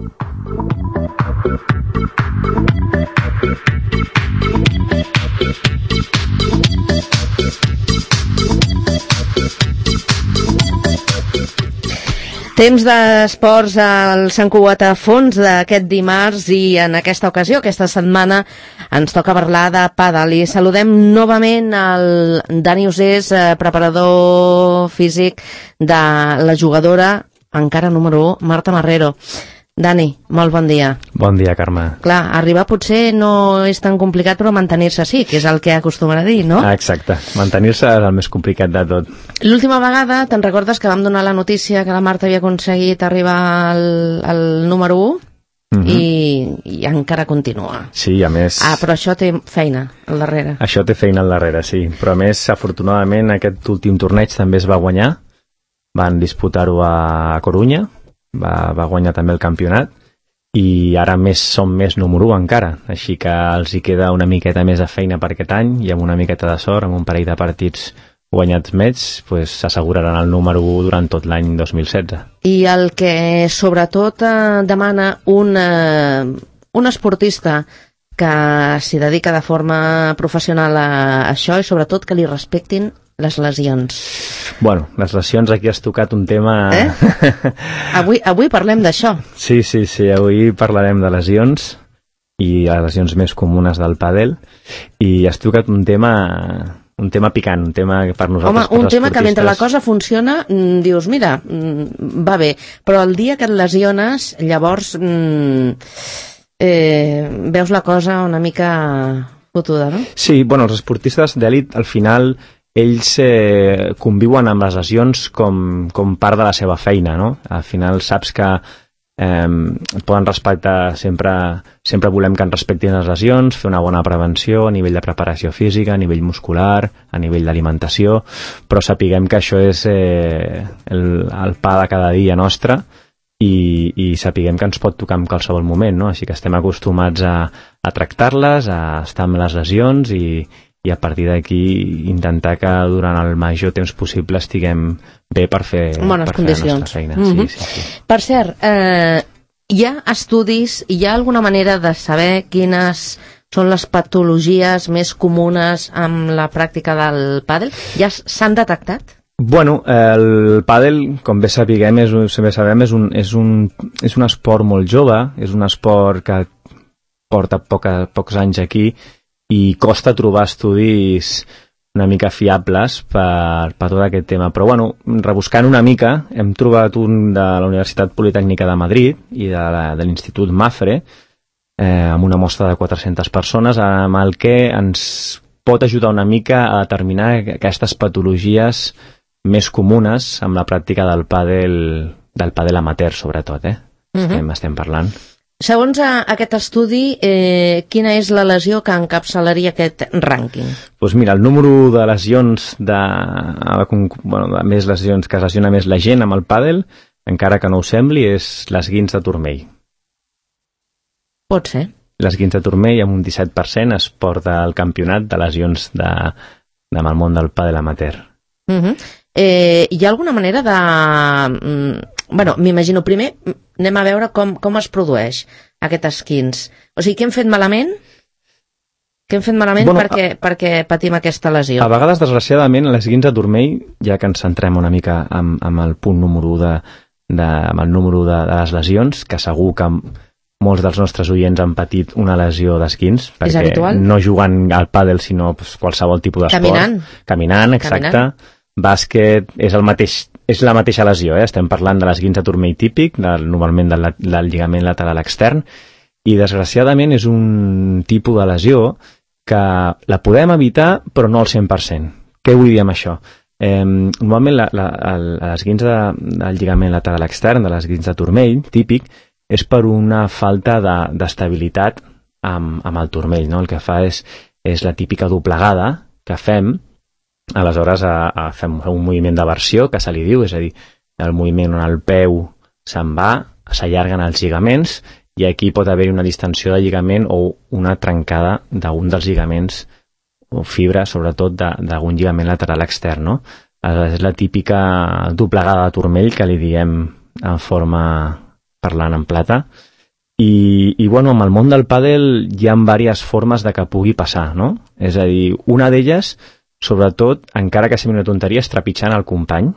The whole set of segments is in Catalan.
Temps d'esports al Sant Cugat a fons d'aquest dimarts i en aquesta ocasió, aquesta setmana, ens toca parlar de pàdel i saludem novament el Dani Usés, preparador físic de la jugadora encara número 1, Marta Marrero. Dani, molt bon dia. Bon dia, Carme. Clar, arribar potser no és tan complicat, però mantenir-se sí, que és el que acostuma a dir, no? Exacte, mantenir-se és el més complicat de tot. L'última vegada, te'n recordes que vam donar la notícia que la Marta havia aconseguit arribar al número 1? I encara continua. Sí, a més... però això té feina al darrere. Això té feina al darrere, sí. Però a més, afortunadament, aquest últim torneig també es va guanyar. Van disputar-ho a Corunya. Va guanyar també el campionat i ara som més número 1 encara, així que els hi queda una miqueta més de feina per aquest any i amb una miqueta de sort, amb un parell de partits guanyats més, s'asseguraran el número 1 durant tot l'any 2016. I el que sobretot demana un esportista que s'hi dedica de forma professional a això i sobretot que li respectin les lesions. Bueno, les lesions, aquí has tocat un tema... Avui parlem d'això. Sí, avui parlarem de lesions i les lesions més comunes del pàdel i has tocat un tema picant, un tema que per nosaltres... Home, un tema que mentre la cosa funciona dius, mira, va bé, però el dia que et lesiones, llavors veus la cosa una mica fotuda, no? Sí, bueno, els esportistes d'èlit al final ells conviuen amb les lesions com part de la seva feina, no? Al final saps que poden respectar, sempre volem que ens respectin les lesions, fer una bona prevenció a nivell de preparació física, a nivell muscular, a nivell d'alimentació, però sapiguem que això és el pa de cada dia nostre i sapiguem que ens pot tocar en qualsevol moment, no? Així que estem acostumats a tractar-les, a estar amb les lesions i a partir d'aquí intentar que durant el major temps possible estiguem bé per fer la nostra feina. Sí. Per cert, hi ha estudis, hi ha alguna manera de saber quines són les patologies més comunes amb la pràctica del pàdel? Ja s'han detectat? Bueno, el pàdel, com bé sabem, és un esport molt jove, és un esport que porta pocs anys aquí i costa trobar estudis una mica fiables per tot aquest tema. Però, bueno, rebuscant una mica, hem trobat un de la Universitat Politècnica de Madrid i de l'Institut Mafre, amb una mostra de 400 persones, amb el que ens pot ajudar una mica a determinar aquestes patologies més comunes amb la pràctica del pàdel amateur, sobretot, estem parlant. Segons aquest estudi, quina és la lesió que encapçalaria aquest rànquing? Doncs mira, el número de lesions de més lesions que es lesiona més la gent amb el pàdel, encara que no ho sembli, és l'esguinç de turmell. Pot ser. L'esguinç de turmell amb un 17% es porta al campionat de lesions amb el món del pàdel amateur. Hi ha alguna manera de... Bueno, m'imagino, primer anem a veure com es produeix aquest esquinç. O sigui, què hem fet malament? Què hem fet malament perquè patim aquesta lesió? A vegades, desgraciadament, l'esquinç de turmell, ja que ens centrem una mica amb el punt número 1 amb el número de les lesions, que segur que molts dels nostres oients han patit una lesió d'esquinç, perquè no jugant al pàdel, sinó qualsevol tipus d'esport. Caminant, exacte. Bàsquet és la mateixa lesió, estem parlant de l'esguinç de turmell típic, normalment del lligament lateral extern, i desgraciadament és un tipus de lesió que la podem evitar però no al 100%. Què vull dir amb això? Normalment l'esguinç del lligament lateral extern, de l'esguinç de turmell típic, és per una falta d'estabilitat amb el turmell, no? El que fa és la típica doblegada que fem. Aleshores fem un moviment d'aversió, que se li diu, és a dir, el moviment on el peu se'n va, s'allarguen els lligaments i aquí pot haver-hi una distensió de lligament o una trencada d'un dels lligaments o fibra, sobretot d'algun lligament lateral extern, no? Aleshores, és la típica doblegada de turmell que li diem en forma parlant en plata I bueno, amb el món del pàdel hi ha diverses formes de que pugui passar, no? És a dir, una d'elles, sobretot, encara que sembli una tonteria, és trepitjant el company,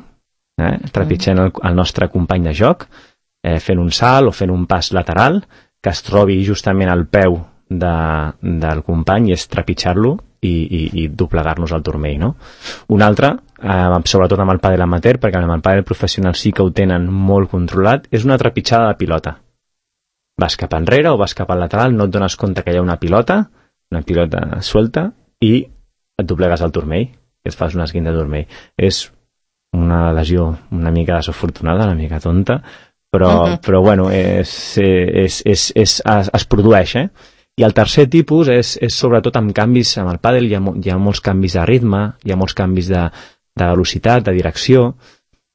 trepitjant el nostre company de joc, fent un salt o fent un pas lateral, que es trobi justament al peu del company i és trepitjar-lo i doblegar-nos al turmell, no? Un altre, sobretot amb el pàdel amateur, perquè amb el pàdel professional sí que ho tenen molt controlat, és una trepitjada de pilota. Vas cap enrere o vas cap al lateral, no et dones compte que hi ha una pilota suelta, i et doblegues al turmell, i et fas un esguint de turmell. És una lesió una mica desafortunada, una mica tonta, però bueno, es produeix, I el tercer tipus és sobretot amb canvis, amb el pàdel hi ha molts canvis de ritme, hi ha molts canvis de velocitat, de direcció,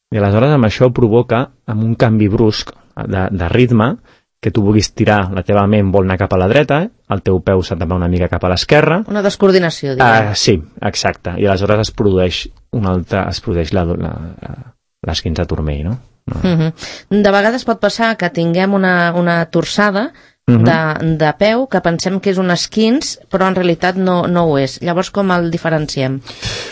i aleshores amb això provoca, amb un canvi brusc de ritme, que tu vulguis tirar, la teva ment vol anar cap a la dreta, el teu peu se't va una mica cap a l'esquerra. Una descoordinació, diguem. Sí, exacte. I aleshores es produeix l'esquinç de turmell, no? De vegades pot passar que tinguem una torçada de peu que pensem que és un esquinç, però en realitat no ho és. Llavors, com el diferenciem?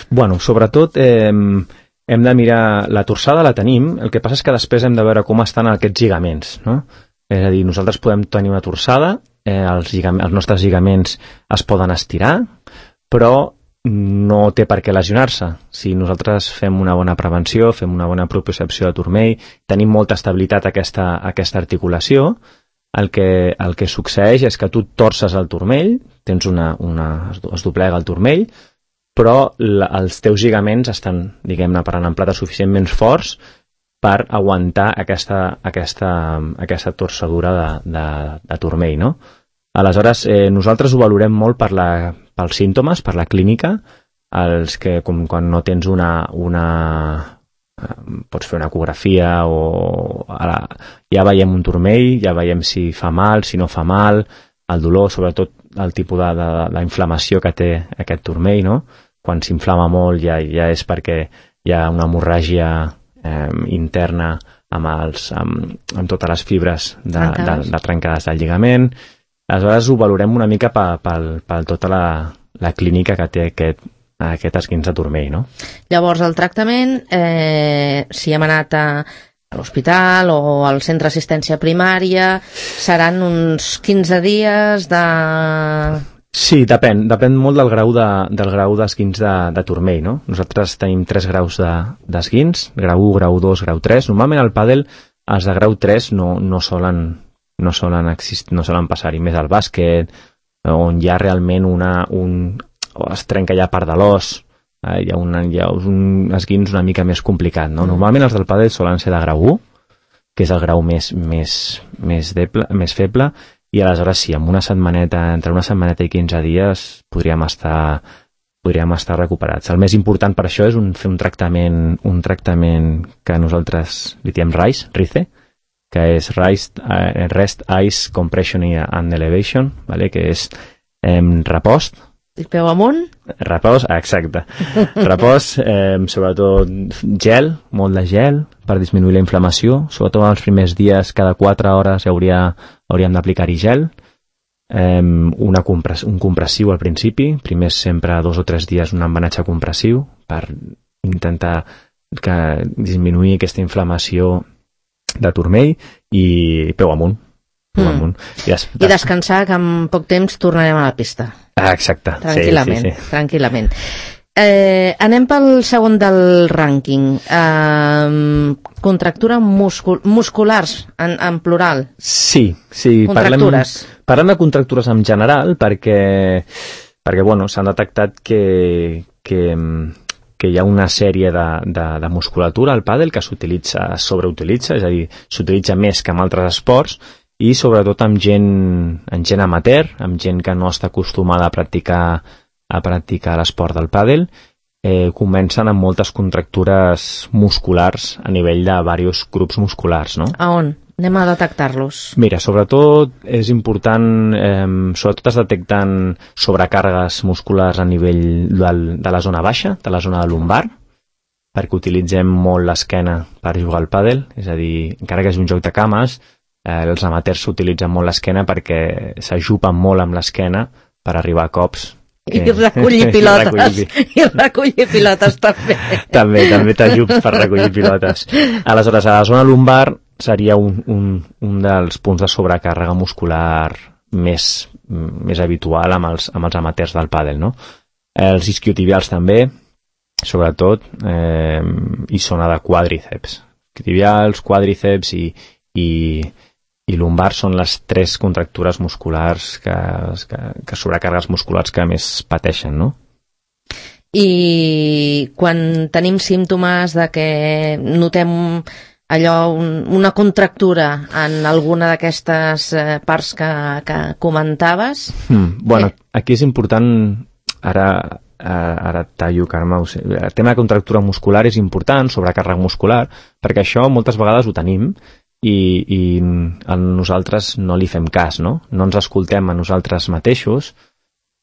Bueno, sobretot hem de mirar, la torçada la tenim, el que passa és que després hem de veure com estan aquests lligaments, no? És a dir, nosaltres podem tenir una torçada, els nostres lligaments es poden estirar, però no té per què lesionar-se. Si nosaltres fem una bona prevenció, fem una bona propiocepció de turmell, tenim molta estabilitat a aquesta articulació, el que succeeix és que tu torces el turmell, es doblega el turmell, però els teus lligaments estan, diguem-ne, per l'amplada suficientment forts per aguantar aquesta torçadura de turmell, no? Aleshores, nosaltres ho valorem molt pels símptomes, per la clínica, els que quan no tens pots fer una ecografia o ja veiem un turmell, ja veiem si fa mal, si no fa mal, el dolor, sobretot el tipus d'inflamació que té aquest turmell, no? Quan s'inflama molt ja és perquè hi ha una hemorràgia interna amb totes les fibres de trencades del lligament. Aleshores ho valorem una mica per tota la clínica que té aquest esquinç de turmell, no? Llavors el tractament, si hem anat a l'hospital o al centre d'assistència primària, seran uns 15 dies de... Sí, depèn molt del grau d'esquinç de turmell, no? Nosaltres tenim 3 graus d'esquinç, grau 1, grau 2, grau 3. Normalment al pàdel els de grau 3 no solen passar-hi, més al bàsquet, on hi ha realment es trenca ja part de l'os, hi ha un esquinç una mica més complicat, no? Normalment els del pàdel solen ser de grau 1, que és el grau més feble, i aleshores sí, entre una setmaneta i 15 dies podríem estar recuperats. El més important per això és fer un tractament que nosaltres li diem RICE, que és Rest, Ice, Compression and Elevation, que és repòs. I peu amunt? Repòs, exacte. Repòs, sobretot gel, molt de gel, per disminuir la inflamació. Sobretot els primers dies, cada 4 hores hauríem d'aplicar-hi gel. Un compressiu al principi, primer sempre 2 o 3 dies un embenatge compressiu per intentar disminuir aquesta inflamació de turmell i peu amunt. I descansar, que en poc temps tornarem a la pista. Exacte. Tranquil·lament. Anem pel segon del rànquing. Contractures musculars, en plural. Sí. Contractures. Parlem de contractures en general perquè s'han detectat que hi ha una sèrie de musculatura al pàdel que sobreutilitza, és a dir, s'utilitza més que en altres esports, i sobretot amb gent amateur, amb gent que no està acostumada a practicar l'esport del pàdel, comencen amb moltes contractures musculars a nivell de diversos grups musculars, no? A on? Anem a detectar-los. Mira, sobretot és important, sobretot es detecten sobrecàrregues musculars a nivell de la zona baixa, de la zona de lumbar, perquè utilitzem molt l'esquena per jugar al pàdel, és a dir, encara que és un joc de cames, els amateurs s'utilitzen molt l'esquena perquè s'ajupen molt amb l'esquena per arribar a cops. I recollir pilotes. I recollir pilotes també. També t'ajups per recollir pilotes. Aleshores, a la zona lumbar seria un dels punts de sobrecàrrega muscular més habitual amb els amateurs del pàdel, no? Els isquiotibials també, sobretot, i zona de quàdriceps. Isquiotibials, quàdriceps i lumbar són les 3 contractures musculars que sobrecàrregues musculars que més pateixen, no? I quan tenim símptomes de que notem allò, una contractura en alguna d'aquestes parts que comentaves... Bueno, aquí és important, ara tallo, Carme, el tema de contractura muscular és important, sobrecàrrega muscular, perquè això moltes vegades ho tenim, i a nosaltres no li fem cas, no? No ens escoltem a nosaltres mateixos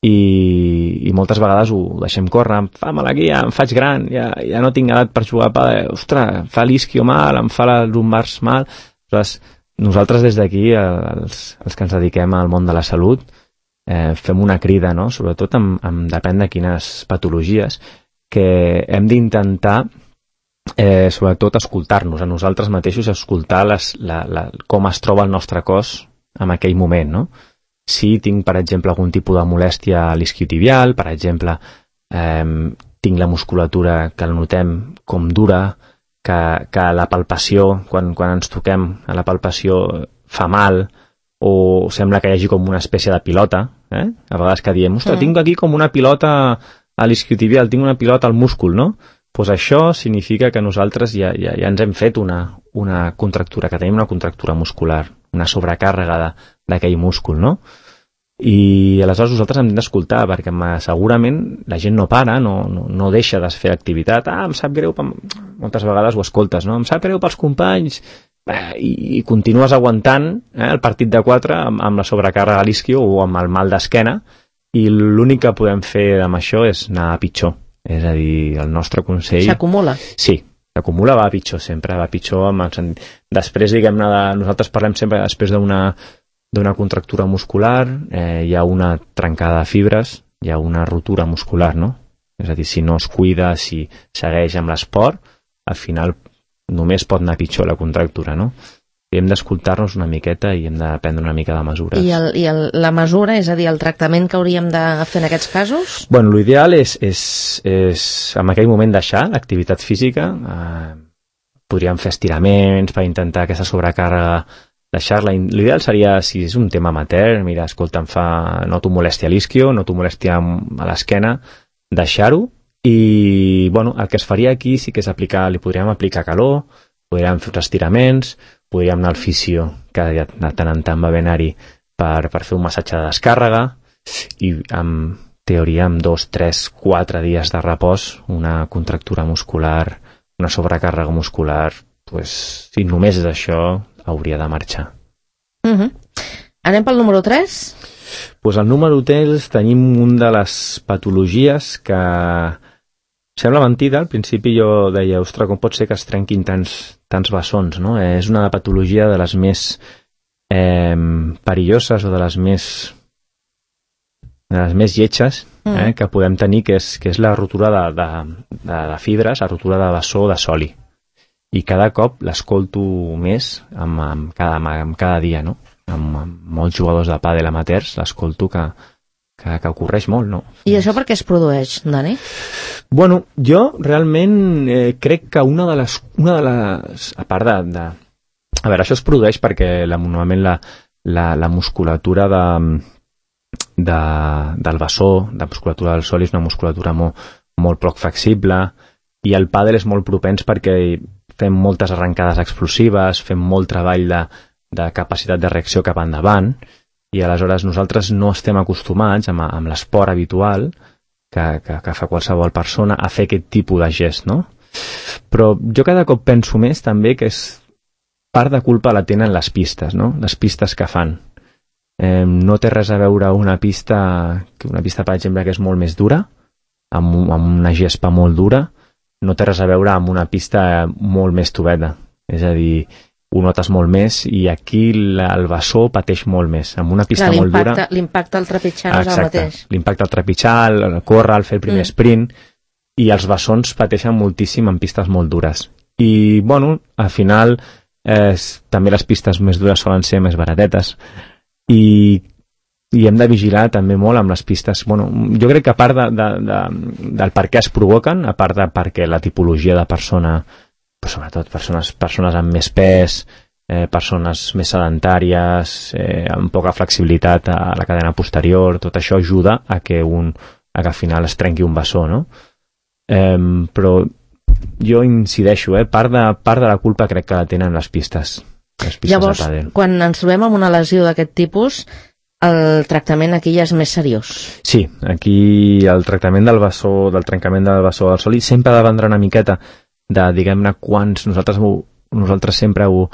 i moltes vegades ho deixem córrer, em fa mal aquí, em faig gran, ja no tinc edat per jugar a pàdel, ostres, em fa l'isquio mal, em fa les lumbars mal. Nosaltres des d'aquí, els que ens dediquem al món de la salut, fem una crida, no? Sobretot depèn de quines patologies, que hem d'intentar sobretot escoltar-nos a nosaltres mateixos, escoltar com es troba el nostre cos en aquell moment, no? Si tinc, per exemple, algun tipus de molèstia a l'isquiotibial, per exemple, tinc la musculatura que la notem com dura, que la palpació, quan ens toquem a la palpació fa mal, o sembla que hi hagi com una espècie de pilota, a vegades que diem, ostres, tinc aquí com una pilota a l'isquiotibial, tinc una pilota al múscul, no? Doncs això significa que nosaltres ja ens hem fet una contractura, que tenim una contractura muscular, una sobrecàrrega d'aquell múscul, no? I aleshores nosaltres hem d'escoltar, perquè segurament la gent no para, no deixa de fer activitat. Em sap greu, moltes vegades ho escoltes, no? Em sap greu pels companys, i continues aguantant el partit de 4 amb la sobrecàrrega a l'isquio o amb el mal d'esquena, i l'únic que podem fer amb això és anar a pitjor. És a dir, el nostre consell... S'acumula? Sí, s'acumula, va a pitjor sempre, va a pitjor. Després, diguem-ne, nosaltres parlem sempre després d'una contractura muscular, hi ha una trencada de fibres, hi ha una rotura muscular, no? És a dir, si no es cuida, si segueix amb l'esport, al final només pot anar pitjor la contractura, no? I hem d'escoltar-nos una miqueta i hem de prendre una mica de mesures. I la mesura, és a dir, el tractament que hauríem de fer en aquests casos? Bueno, l'ideal és en aquell moment deixar l'activitat física, podríem fer estiraments per intentar aquesta sobrecàrrega deixar-la. L'ideal seria, si és un tema amateur, mira, escolta, noto molèstia a l'isquio, noto molèstia a l'esquena, deixar-ho, i bueno, el que es faria aquí sí que és li podríem aplicar calor, podríem fer uns estiraments, podríem anar al fisio, que de tant en tant va ben anar-hi per fer un massatge de descàrrega, i en teoria amb 2, 3, 4 dies de repòs, una contractura muscular, una sobrecàrrega muscular, si només és això, hauria de marxar. Anem pel número 3? Doncs al número 3 tenim una de les patologies que sembla mentida. Al principi jo deia, ostres, com pot ser que es trenquin tants bessons, no? És una patologia de les més perilloses o de les més lletges que podem tenir, que és la rotura de fibres, la rotura de bessó de soli. I cada cop l'escolto més amb cada dia, no? Amb molts jugadors de pàdel amateurs l'escolto que ocorreix molt, no? I això per què es produeix, Dani? Bueno, jo realment crec que una de les... A part de... A veure, això es produeix perquè normalment la musculatura del bessó, la musculatura del soli és una musculatura molt poc flexible, i el pàdel és molt propens perquè fem moltes arrencades explosives, fem molt treball de capacitat de reacció cap endavant, i aleshores nosaltres no estem acostumats amb l'esport habitual que fa qualsevol persona a fer aquest tipus de gest, no? Però jo cada cop penso més també que és part de culpa la tenen les pistes, no? Les pistes que fan. No té res a veure una pista, per exemple, que és molt més dura, amb una gespa molt dura, no té res a veure amb una pista molt més toveta. És a dir, ho notes molt més, i aquí el bessó pateix molt més. Amb una pista molt dura... L'impacte al trepitjar no és el mateix. L'impacte al trepitjar, el córrer, el fer el primer sprint, i els bessons pateixen moltíssim en pistes molt dures. I, bueno, al final també les pistes més dures solen ser més baratetes, i hem de vigilar també molt amb les pistes. Bueno, jo crec que a part del per què es provoquen, a part de perquè la tipologia de persona, però sobretot persones amb més pes, persones més sedentàries, amb poca flexibilitat a la cadena posterior, tot això ajuda a que al final es trenqui un bessó, no? Però jo incideixo, part de la culpa crec que la tenen les pistes Llavors, de pàdel. Quan ens trobem amb una lesió d'aquest tipus, el tractament aquí ja és més seriós. Sí, aquí el tractament del bessó, del trencament del bessó del sòlid, sempre ha de vendre una miqueta de, diguem-ne, quants... Nosaltres sempre ho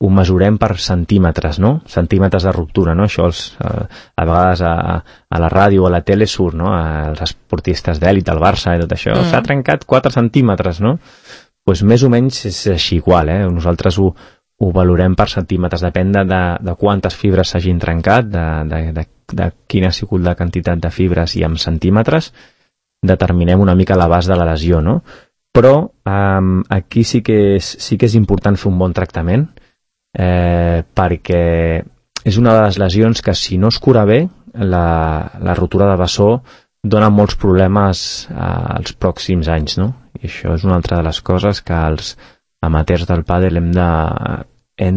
mesurem per centímetres, no? Centímetres de ruptura, no? Això a vegades a la ràdio o a la tele surt, no? Els esportistes d'èlit, del Barça i tot això, s'ha trencat 4 centímetres, no? Doncs més o menys és així igual, Nosaltres ho valorem per centímetres, depèn de quantes fibres s'hagin trencat, de quina ha sigut la quantitat de fibres, i amb centímetres determinem una mica l'abast de la lesió, no? Però aquí sí que és important fer un bon tractament, perquè és una de les lesions que, si no es cura bé, la rotura de bessó dona molts problemes als pròxims anys, no? I això és una altra de les coses que els amateurs del pàdel hem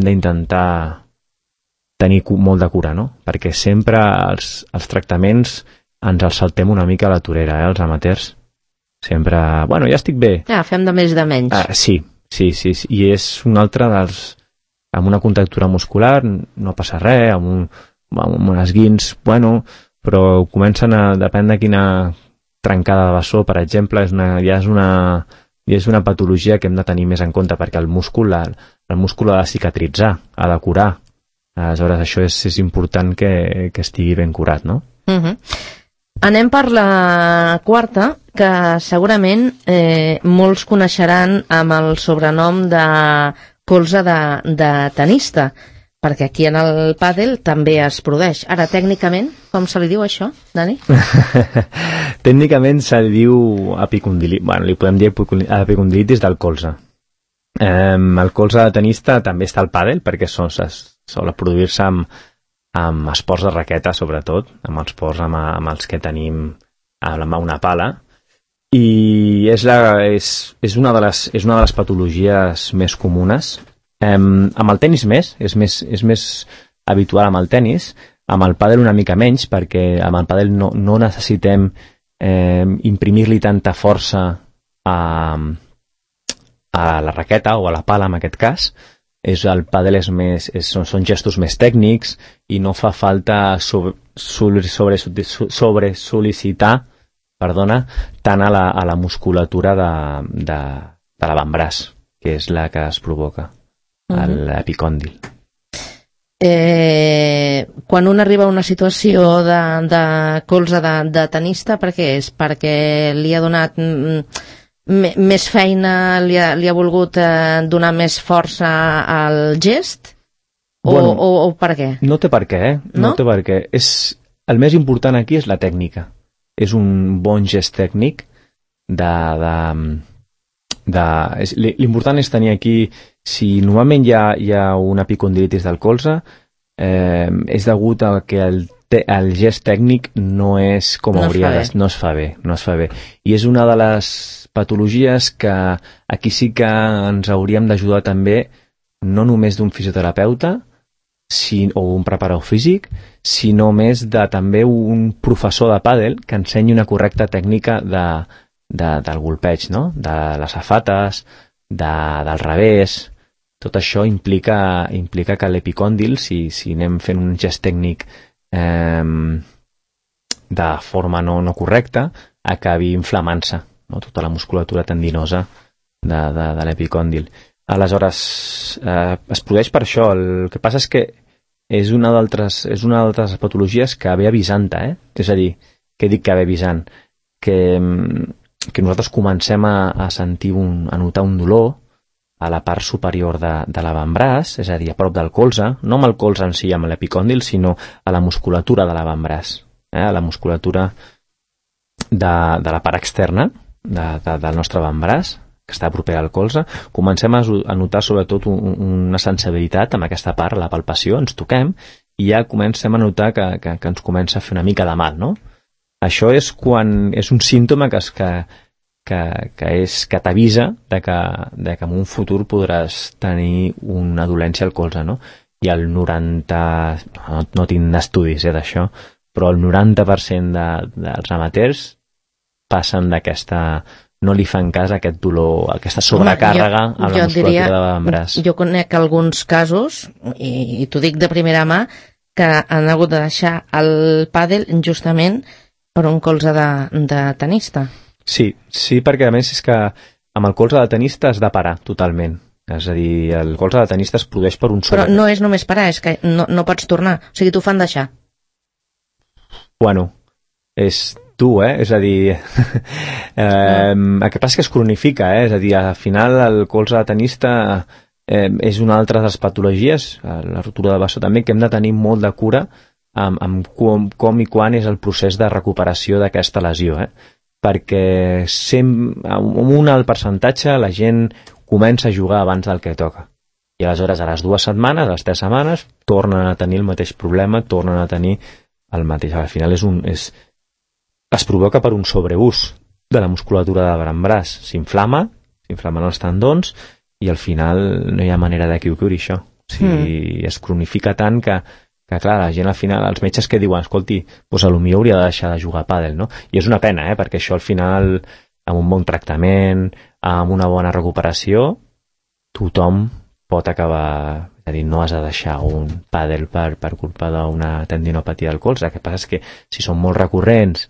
d'intentar tenir molt de cura, no? Perquè sempre els tractaments ens els saltem una mica a la torera, els amateurs. Sempre, bueno, ja estic bé. Fem de més de menys. Sí. I és un altre dels... Amb una contractura muscular no passa res, amb un esguins, bueno, però comencen a... Depèn de quina trencada de bessó, per exemple, ja és una patologia que hem de tenir més en compte, perquè el múscul ha de cicatritzar, ha de curar. Aleshores, això és important que estigui ben curat, no? Anem per la quarta, que segurament molts coneixeran amb el sobrenom de colze de tenista, perquè aquí en el pàdel també es produeix. Ara, tècnicament, com se li diu això, Dani? Tècnicament se li diu epicondilitis, bueno, li podem dir epicondilitis del colze. El colze de tenista també està al pàdel, perquè sol produir-se amb esports de raqueta, sobretot, amb els esports amb els que tenim amb una pala, i és una de les patologies més comunes. Amb el tenis és més habitual amb el tenis, amb el pàdel una mica menys, perquè amb el pàdel no necessitem imprimir-li tanta força a la raqueta o a la pala, en aquest cas. El pàdel són gestos més tècnics i no fa falta sobre-sol·licitar tant a la musculatura de l'avantbraç, que és la que es provoca, l'epicòndil. Quan un arriba a una situació de colze de tenista, per què és? Perquè li ha donat més feina, li ha volgut donar més força al gest? O per què? No té per què, no té per què. El més important aquí és la tècnica. És un bon gest tècnic. L'important és tenir aquí, si normalment hi ha una epicondilitis del colze, és degut a que el gest tècnic no és com hauria de ser, no es fa bé. I és una de les patologies que aquí sí que ens hauríem d'ajudar també, no només d'un fisioterapeuta o un preparador físic, sinó més de també un professor de pàdel que ensenyi una correcta tècnica del golpeig, no? De les safates, del revés. Tot això implica que l'epicòndil, si anem fent un gest tècnic de forma no correcta, acabi inflamant-se, no? Tota la musculatura tendinosa de l'epicòndil. Aleshores, es produeix per això. El que passa és que és una d'altres patologies que ve avisant-te, És a dir, què dic que ve avisant? Que nosaltres comencem a sentir, a notar un dolor a la part superior de l'avantbraç, és a dir, a prop del colze, no amb el colze en si, amb l'epicòndil, sinó a la musculatura de l'avantbraç, a la musculatura de la part externa del nostre avantbraç, que està propera al colze. Comencem a notar sobretot una sensibilitat amb aquesta part, la palpació, ens toquem, i ja comencem a notar que ens comença a fer una mica de mal, no? Això és quan és un símptoma que t'avisa que en un futur podràs tenir una dolència al colze, no? I el 90%, no tinc estudis d'això, però el 90% dels amateurs passen no li fan cas a aquest dolor, a aquesta sobrecàrrega a la musculatura de l'avantbraç. Jo conec alguns casos, i t'ho dic de primera mà, que han hagut de deixar el pàdel justament per un colze de tenista. Sí, perquè a més és que amb el colze de tenista has de parar totalment. És a dir, el colze de tenista es produeix per un Però no és només parar, és que no pots tornar. O sigui, t'ho fan deixar. Bueno, és dur, és a dir, el que passa és que es cronifica, és a dir, al final el colze de tenista és una altra de les patologies, la rotura de bessó també, que hem de tenir molt de cura amb com i quan és el procés de recuperació d'aquesta lesió, perquè amb un alt percentatge la gent comença a jugar abans del que toca, i aleshores a les 2 setmanes, a les 3 setmanes tornen a tenir el mateix problema, tornen a tenir el mateix, al final es provoca per un sobreús de la musculatura de l'avantbraç, s'inflamen els tendons i al final no hi ha manera de que ho curi això. O sigui, es cronifica tant que clar, la gent al final, els metges que diuen, escolti, doncs potser hauria de deixar de jugar a pàdel, no? I és una pena, perquè això al final, amb un bon tractament, amb una bona recuperació, tothom pot acabar, és a dir, no has de deixar un pàdel per culpa d'una tendinopatia del colze. El que passa és que si són molt recurrents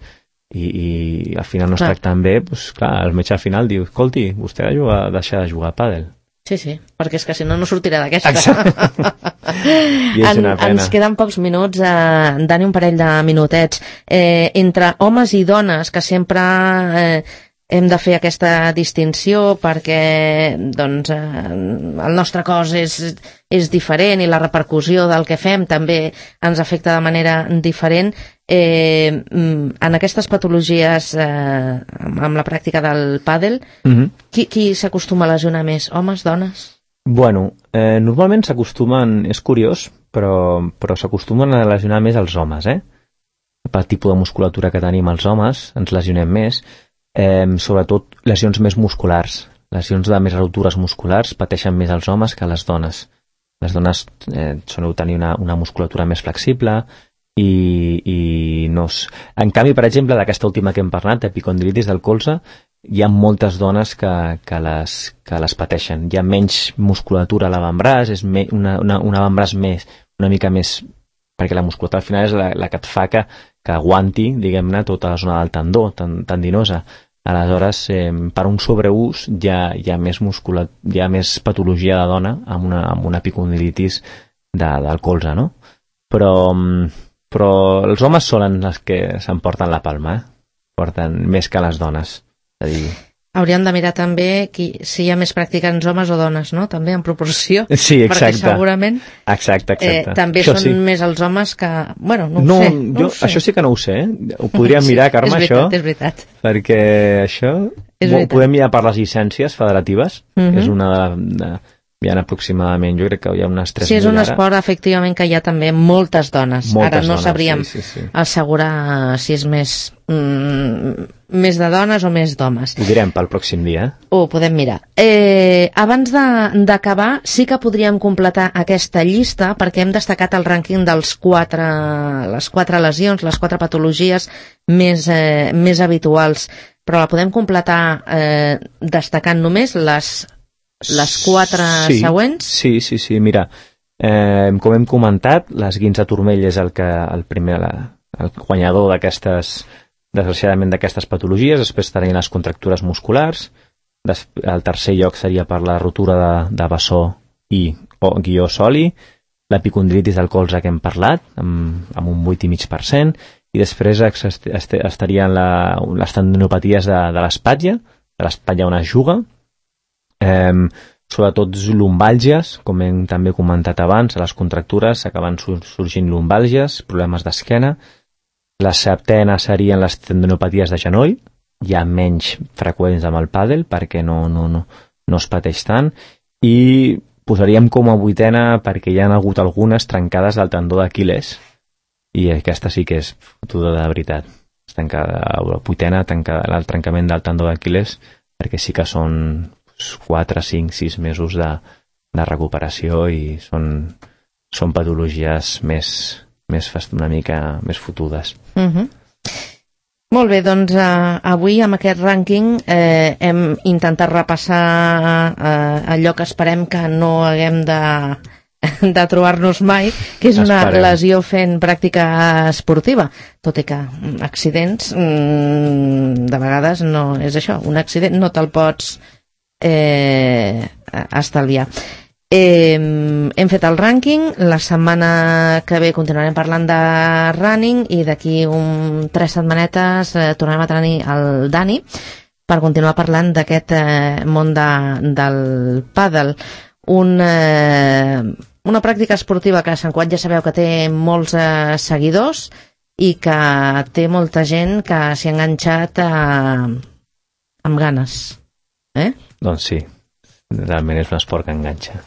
i al final no es tracten bé, doncs clar, el metge al final diu, escolti, vostè ha de deixar de jugar a pàdel. Sí, perquè és que si no sortirà d'aquesta. I és una pena. Ens queden pocs minuts, Dani, un parell de minutets. Entre homes i dones, que sempre hem de fer aquesta distinció perquè doncs, el nostre cos és diferent i la repercussió del que fem també ens afecta de manera diferent. En aquestes patologies, amb la pràctica del pàdel, qui s'acostuma a lesionar més? Homes, dones? Bueno, normalment s'acostumen, és curiós, però s'acostumen a lesionar més els homes, pel tipus de musculatura que tenim els homes, ens lesionem més, sobretot lesions més musculars, lesions de més ruptures musculars pateixen més els homes que les dones. Les dones soleu tenir una musculatura més flexible i no... En canvi, per exemple, d'aquesta última que hem parlat, epicondilitis del colze, hi ha moltes dones que les pateixen. Hi ha menys musculatura a l'avantbraç, és un avantbraç una mica més... perquè la musculatura al final és la que et fa que aguanti, diguem-ne, tota la zona del tendó, tendinosa. Aleshores, per un sobreús hi ha més patologia de dona amb una epicondilitis del colze, no? Però els homes solen els que s'emporten la palma, porten més que les dones. És a dir... Hauríem de mirar també si hi ha més practicants homes o dones, no? També en proporció. Sí, exacte. Perquè segurament exacte. També això són més els homes que... Bueno, no ho sé. Això sí que no ho sé. Ho podríem mirar, Carme, això. És veritat. Perquè això... Podem mirar per les llicències federatives. És una de... Hi ha aproximadament, jo crec que hi ha unes 3.000. Sí, és un esport, efectivament, que hi ha també moltes dones. Ara no sabríem assegurar si és més de dones o més d'homes. Ho direm pel pròxim dia. Ho podem mirar. Abans d'acabar, sí que podríem completar aquesta llista perquè hem destacat el rànquing de les 4 lesions, les 4 patologies més habituals, però la podem completar destacant només les 4 següents? Sí, mira, com hem comentat, l'esguinç de turmell és el guanyador desgraciadament d'aquestes patologies. Després tenim les contractures musculars, el tercer lloc seria per la rotura de bessó o soli, l'epicondilitis del colze que hem parlat, amb un 8,5%, i després estarien les tendinopaties de l'espatlla on es juga, sobretot lumbàlgies, com hem també comentat abans, a les contractures s'acaben sorgint lumbàlgies, problemes d'esquena. La setena serien les tendinopaties de genoll, ja menys freqüents amb el pàdel perquè no es pateix tant, i posaríem com a vuitena perquè hi ha hagut algunes trencades del tendó d'Aquil·les, i aquesta sí que és fotuda de veritat. La vuitena, el trencament del tendó d'Aquil·les, perquè sí que són 4, 5, 6 mesos de recuperació i són patologies una mica més fotudes. Molt bé, doncs avui amb aquest rànquing hem intentat repassar allò que esperem que no haguem de trobar-nos mai, que és una lesió fent pràctica esportiva, tot i que accidents de vegades no és això, un accident no te'l pots estalviar. Hem fet el rànquing, la setmana que ve continuarem parlant de running i d'aquí 3 setmanetes tornarem a tenir el Dani per continuar parlant d'aquest món del pàdel. Una pràctica esportiva que a Sant Cugat ja sabeu que té molts seguidors i que té molta gent que s'hi ha enganxat amb ganes. Doncs sí, realment és un esport que enganxa.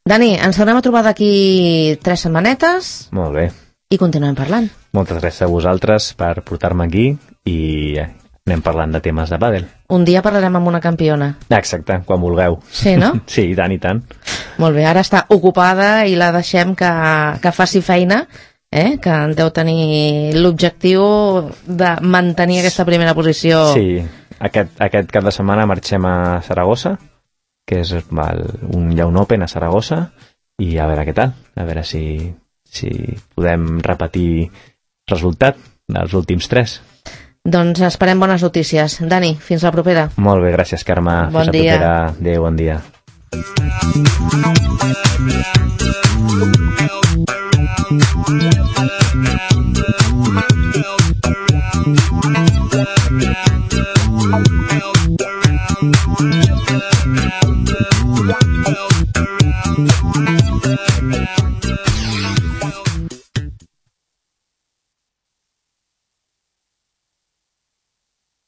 Dani, ens tornem a trobar d'aquí 3 setmanetes. Molt bé. I continuem parlant. Moltes gràcies a vosaltres per portar-me aquí i anem parlant de temes de pàdel. Un dia parlarem amb una campiona. Exacte, quan vulgueu. Sí, no? Sí, i tant, i tant. Molt bé, ara està ocupada i la deixem que faci feina, que en deu tenir l'objectiu de mantenir aquesta primera posició. Sí, aquest cap de setmana marxem a Saragossa, que és hi ha un Open a Saragossa, i a veure què tal, a veure si podem repetir resultat dels últims 3. Doncs esperem bones notícies. Dani, fins la propera. Molt bé, gràcies, Carme. Bon fins dia. La propera. Adéu, bon dia. Wow.